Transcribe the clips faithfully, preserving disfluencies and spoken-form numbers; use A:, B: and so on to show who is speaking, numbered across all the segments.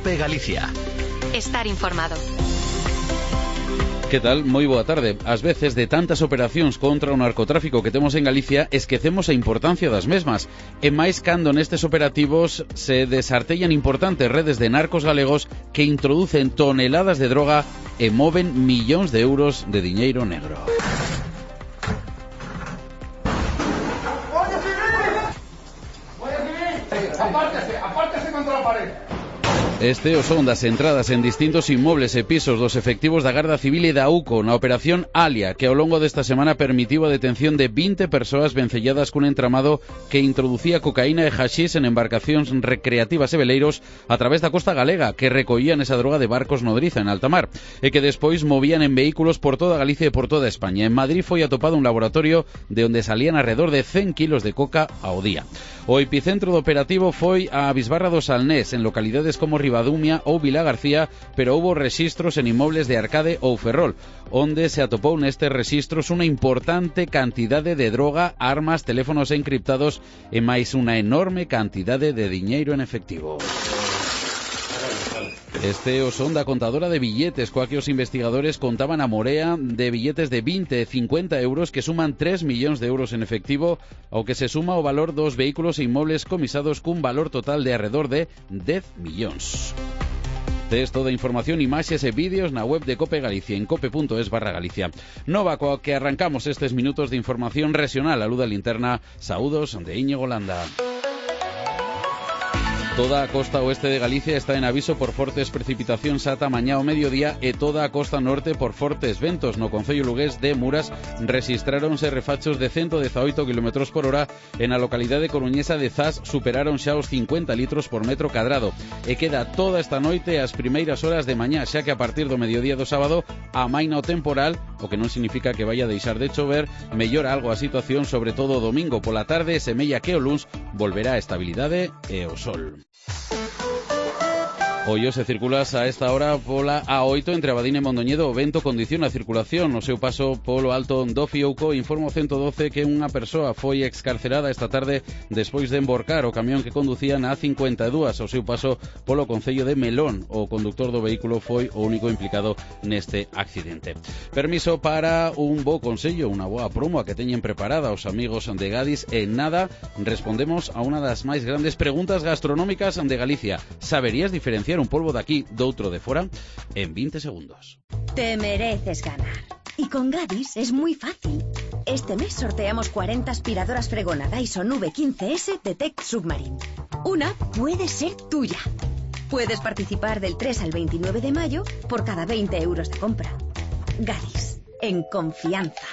A: COPE Galicia.
B: Estar informado.
C: Que tal? Moi boa tarde. Ás veces, de tantas operacións contra o narcotráfico que temos en Galicia, esquecemos a importancia das mesmas. E máis cando nestes operativos se desartellan importantes redes de narcos galegos que introducen toneladas de droga e moven millóns de euros de diñeiro negro.
D: Apártese, apártese contra la pared.
C: Este o son das entradas en distintos inmobles e pisos dos efectivos da Garda Civil e da U C O na operación Alia, que ao longo desta semana permitiu a detención de vinte persoas vencelladas cun entramado que introducía cocaína e haxís en embarcacións recreativas e veleiros a través da costa galega, que recollían esa droga de barcos nodriza en alta mar, e que despois movían en vehículos por toda Galicia e por toda España. En Madrid foi atopado un laboratorio de onde salían alrededor de cen kilos de coca ao día. O epicentro do operativo foi a Bisbarra do Salnés, en localidades como Ribadumia ou Vila García, pero houbo rexistros en inmobles de Arcade ou Ferrol, onde se atopou nestes rexistros unha importante cantidade de droga, armas, teléfonos encriptados e máis unha enorme cantidade de diñeiro en efectivo. Este o son da contadora de billetes, coa que os investigadores contaban a morea de billetes de vinte e cincuenta euros que suman tres millóns de euros en efectivo, ao que se suma o valor dos vehículos e inmobles comisados cun valor total de arredor de dez millóns. Tes toda a información, imaxes e vídeos na web de Cope Galicia en cope.es barra Galicia. Nova coa que arrancamos estes minutos de información regional a luz da linterna. Saúdos de Íñigo Landa. Toda a costa oeste de Galicia está en aviso por fortes precipitacións ata mañá ao mediodía e toda a costa norte por fortes ventos. No concello lugués de Muras rexistráronse refachos de ciento dezaoito kilómetros por hora e na localidade coruñesa de Zas superaron xa os cincuenta litros por metro cadrado. E queda toda esta noite as primeiras horas de mañá, xa que a partir do mediodía do sábado amaina o temporal, o que non significa que vaya a deixar de chover, mellora algo a situación, sobre todo o domingo pola tarde, semella que o luns volverá a estabilidade e o sol. Ollo se circulas a esta hora pola A oito entre Abadín e Mondoñedo. O vento condiciona a circulación. No seu paso polo alto do Fiouco, informa o ciento doce que unha persoa foi excarcerada esta tarde despois de emborcar o camión que conducía na A cincuenta e dúas ao seu paso polo concello de Melón. O conductor do vehículo foi o único implicado neste accidente. Permiso para un bo consello, unha boa promo a que teñen preparada os amigos de Gadis. E nada, respondemos a unha das máis grandes preguntas gastronómicas de Galicia. Saberías diferenciar un polvo de aquí doutro de fora? En veinte segundos.
E: Te mereces ganar. Y con Gadis es muy fácil. Este mes sorteamos cuarenta aspiradoras Fregona Dyson V quince S de Tech Submarine. Una puede ser tuya. Puedes participar del tres al veintinueve de mayo por cada veinte euros de compra. Gadis, en confianza.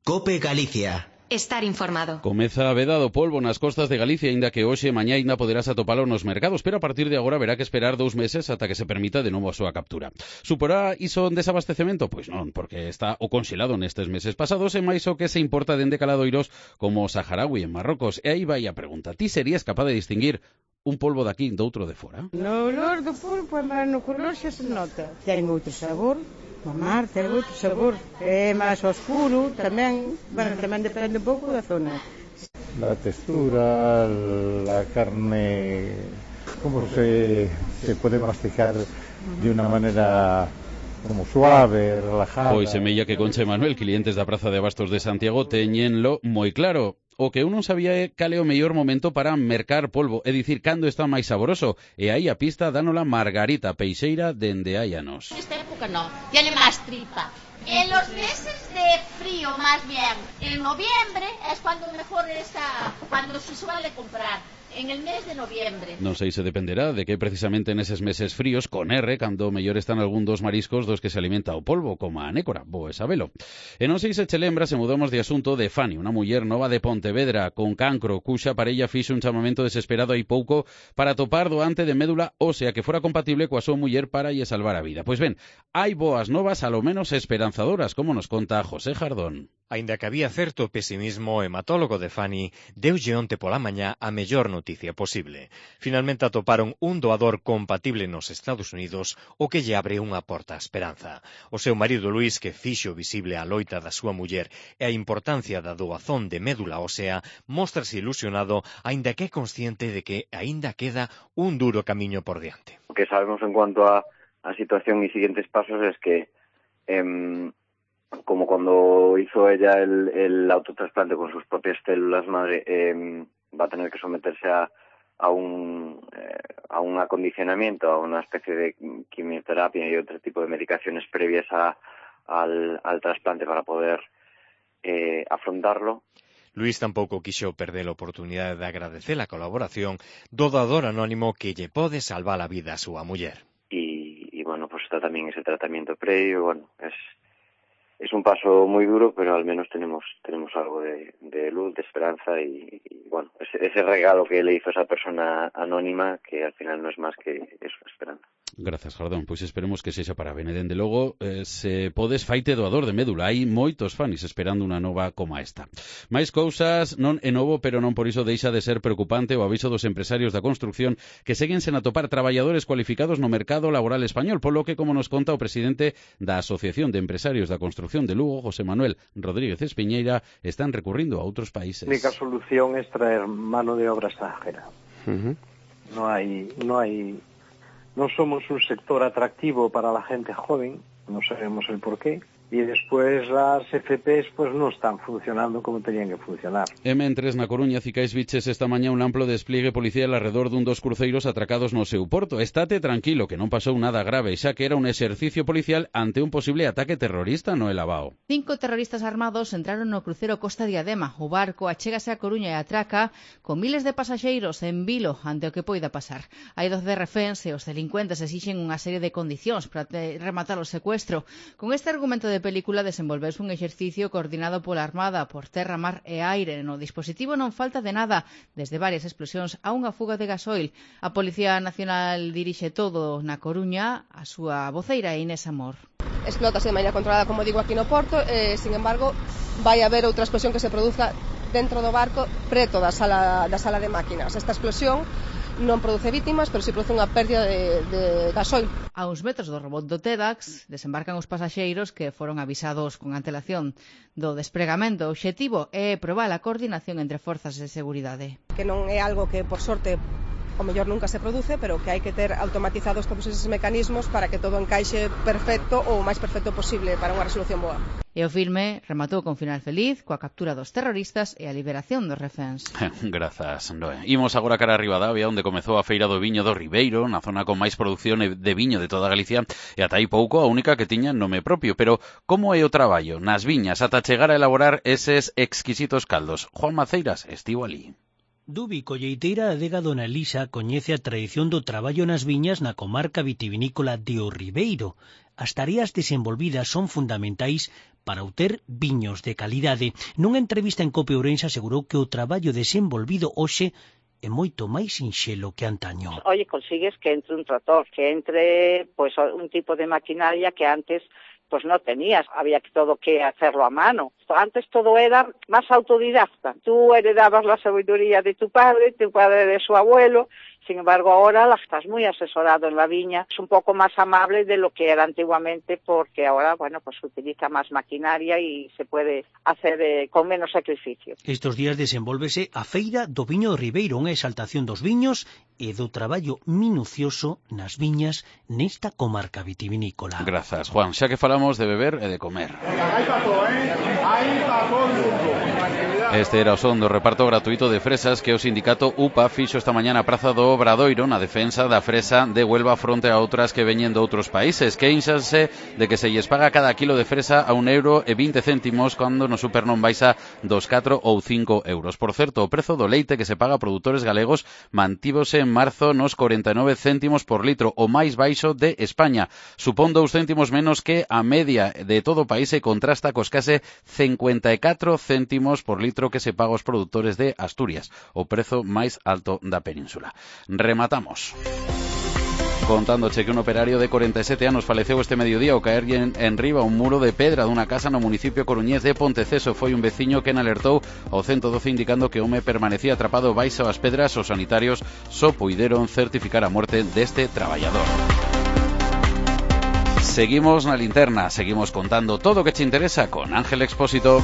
A: COPE Galicia.
B: Estar informado.
C: Comeza a veda do polvo nas costas de Galicia, aínda que hoxe e mañá aínda poderás atopalo nos mercados, pero a partir de agora verá que esperar dous meses ata que se permita de novo a súa captura. Suporá iso desabastecemento? Pois non, porque está o conxelado nestes meses pasados e máis o que se importa dende caladoiros como o saharaui en Marrocos. E aí vai a pregunta: ti serías capaz de distinguir un polvo daqui doutro de fora?
F: No olor do polvo, mas no color xa se nota. Ten outro sabor. Mamar, ten outro sabor. É máis oscuro, tamén, bueno, tamén depende un pouco da zona.
G: La textura, la carne, como se, se puede masticar de una manera como suave, relajada.
C: Pois semella que Concha e Manuel, clientes da Praza de Abastos de Santiago, teñenlo moi claro. O que eu non sabía é cal é o mellor momento para mercar polvo, é dicir, cando está máis saboroso. E aí a pista dánola Margarita Peixeira dende hai anos.
H: Esta época no, tiene más tripa. En los meses de frío, más bien, en noviembre es cuando mejor está, cuando se suele comprar. En el mes de noviembre.
C: Non sei se dependerá de que precisamente neses meses fríos, con R, cando mellor están algún dos mariscos dos que se alimenta o polvo, como a nécora, bo sabelo. E non sei se che lembra, se mudamos de asunto, de Fani, unha muller nova de Pontevedra, con cancro, cuxa parella fixo un chamamento desesperado hai pouco para topar doante de médula ósea que fora compatible coa súa muller para lle salvar a vida. Pois ben, hai boas novas, alo menos esperanzadoras, como nos conta José Jardón.
A: Aínda que había certo pesimismo, o hematólogo de Fanny deulle onte pola mañá a mellor noticia posible. Finalmente atoparon un doador compatible nos Estados Unidos, o que lle abre unha porta á esperanza. O seu marido Luís, que fixo visible a loita da súa muller e a importancia da doazón de médula ósea, móstrase ilusionado, aínda que é consciente de que aínda queda un duro camiño por diante.
I: Lo que sabemos en cuanto a, a situación y siguientes pasos es que eh, como cuando hizo ella el, el autotrasplante con sus propias células madre, eh, va a tener que someterse a, a, un, eh, a un acondicionamiento, a una especie de quimioterapia y otro tipo de medicaciones previas a, al, al trasplante para poder eh, afrontarlo.
A: Luís tampouco quixo perder a oportunidade de agradecer a colaboración do doador anónimo que lle pode salvar a vida a súa muller.
I: Y, y bueno, pues está también ese tratamiento previo, bueno, es... Es un paso muy duro, pero al menos tenemos tenemos algo de, de luz, de esperanza y, y bueno, ese, ese regalo que le hizo esa persona anónima que al final no es más que eso, esperanza.
C: Gracias, Jardón. Pois esperemos que sexa para ben. E dende logo, eh, se podes faite doador de médula. Hai moitos fanis esperando unha nova como esta. Mais cousas non é novo, pero non por iso deixa de ser preocupante o aviso dos empresarios da construcción que seguen sen atopar traballadores cualificados no mercado laboral español, polo que, como nos conta o presidente da Asociación de Empresarios da Construcción de Lugo, José Manuel Rodríguez Espiñeira, están recurrindo a outros países.
J: La única solución es traer mano de obra extranjera. Uh-huh. No hay, no hay, no somos un sector atractivo para la gente joven, no sabemos el porqué. Y después las F Pes pues no están funcionando como tenían que funcionar.
C: E mentres na Coruña cicais biches esta mañá un amplo despliegue policial alrededor dun dos cruceiros atracados no seu porto. Estate tranquilo que non pasou nada grave, xa que era un exercicio policial ante un posible ataque terrorista no Elavao.
K: Cinco terroristas armados entraron no crucero Costa Diadema. O barco achégase a Coruña e atraca con miles de pasaxeiros en vilo ante o que poida pasar. Hai doce reféns e os delincuentes exixen unha serie de condicións para rematar o secuestro. Con este argumento de de película desenvolveuse un exercicio coordinado pola Armada por terra, mar e aire. No dispositivo non falta de nada, desde varias explosións a unha fuga de gasoil. A Policía Nacional dirixe todo na Coruña, a súa voceira Inés Amor.
L: Explótase de maneira controlada, como digo, aquí no porto, e, sin embargo, vai haber outra explosión que se produza dentro do barco, preto da sala, da sala de máquinas. Esta explosión non produce vítimas, pero si produce unha pérdida de, de gasoil.
K: A uns metros do robot do TEDx desembarcan os pasaxeiros que foron avisados con antelación do despregamento. O obxectivo é probar a coordinación entre forzas de seguridade.
L: Que non é algo que, por sorte, o mellor nunca se produce, pero que hai que ter automatizados todos esos mecanismos para que todo encaixe perfecto ou o máis perfecto posible para unha resolución boa.
K: E o filme rematou con final feliz, coa captura dos terroristas e a liberación dos reféns.
C: Grazas, Noé. Imos agora cara a Ribadavia, onde comezou a feira do viño do Ribeiro, na zona con máis produción de viño de toda Galicia, e ata aí pouco a única que tiña nome propio. Pero como é o traballo nas viñas ata chegar a elaborar eses exquisitos caldos? Juan Maceiras estivo ali.
M: Dubi, colleiteira adega Dona Elisa, coñece a tradición do traballo nas viñas na comarca vitivinícola de O Ribeiro. As tareas desenvolvidas son fundamentais para obter viños de calidade. Nunha entrevista en Cope Ourense asegurou que o traballo desenvolvido hoxe é moito máis sinxelo que antaño.
N: Oye, consigues que entre un trator, que entre pues un tipo de maquinaria que antes pues no tenías, había que todo que hacerlo a mano. Antes todo era más autodidacta. Tú heredabas la sabiduría de tu padre, tu padre de su abuelo. Sin embargo, ahora la estás muy asesorado en la viña. Es un poco más amable de lo que era antiguamente, porque ahora, bueno, pues se utiliza más maquinaria y se puede hacer eh, con menos sacrificio.
M: Estos días desenvólvese a Feira do Viño do Ribeiro, unha exaltación dos viños e do traballo minucioso nas viñas nesta comarca vitivinícola.
C: Grazas, Juan. Xa que falamos de beber e de comer. Este era o son do reparto gratuito de fresas que o sindicato U P A fixo esta mañá na Praza do Obradoiro na defensa da fresa de Huelva fronte a outras que veñen de outros países. Queixanse de que se lles paga cada kilo de fresa a un euro e vinte céntimos cando no super non baixa dos catro ou cinco euros. Por certo, o prezo do leite que se paga a produtores galegos mantívose en marzo nos corenta e nove céntimos por litro, o máis baixo de España. Supón dous céntimos menos que a media de todo o país e contrasta cos case cincuenta e catro céntimos por litro que se paga aos produtores de Asturias, o prezo máis alto da península. Rematamos. Contándoche que un operario de corenta e sete anos faleceu este mediodía ao caer en, en riba un muro de pedra dunha casa no municipio coruñés de Ponteceso. Foi un veciño quen alertou ao ciento doce indicando que o home permanecía atrapado baixo as pedras. Os sanitarios só puideron certificar a morte deste traballador. Seguimos na linterna, seguimos contando todo o que te interesa con Ángel Expósito.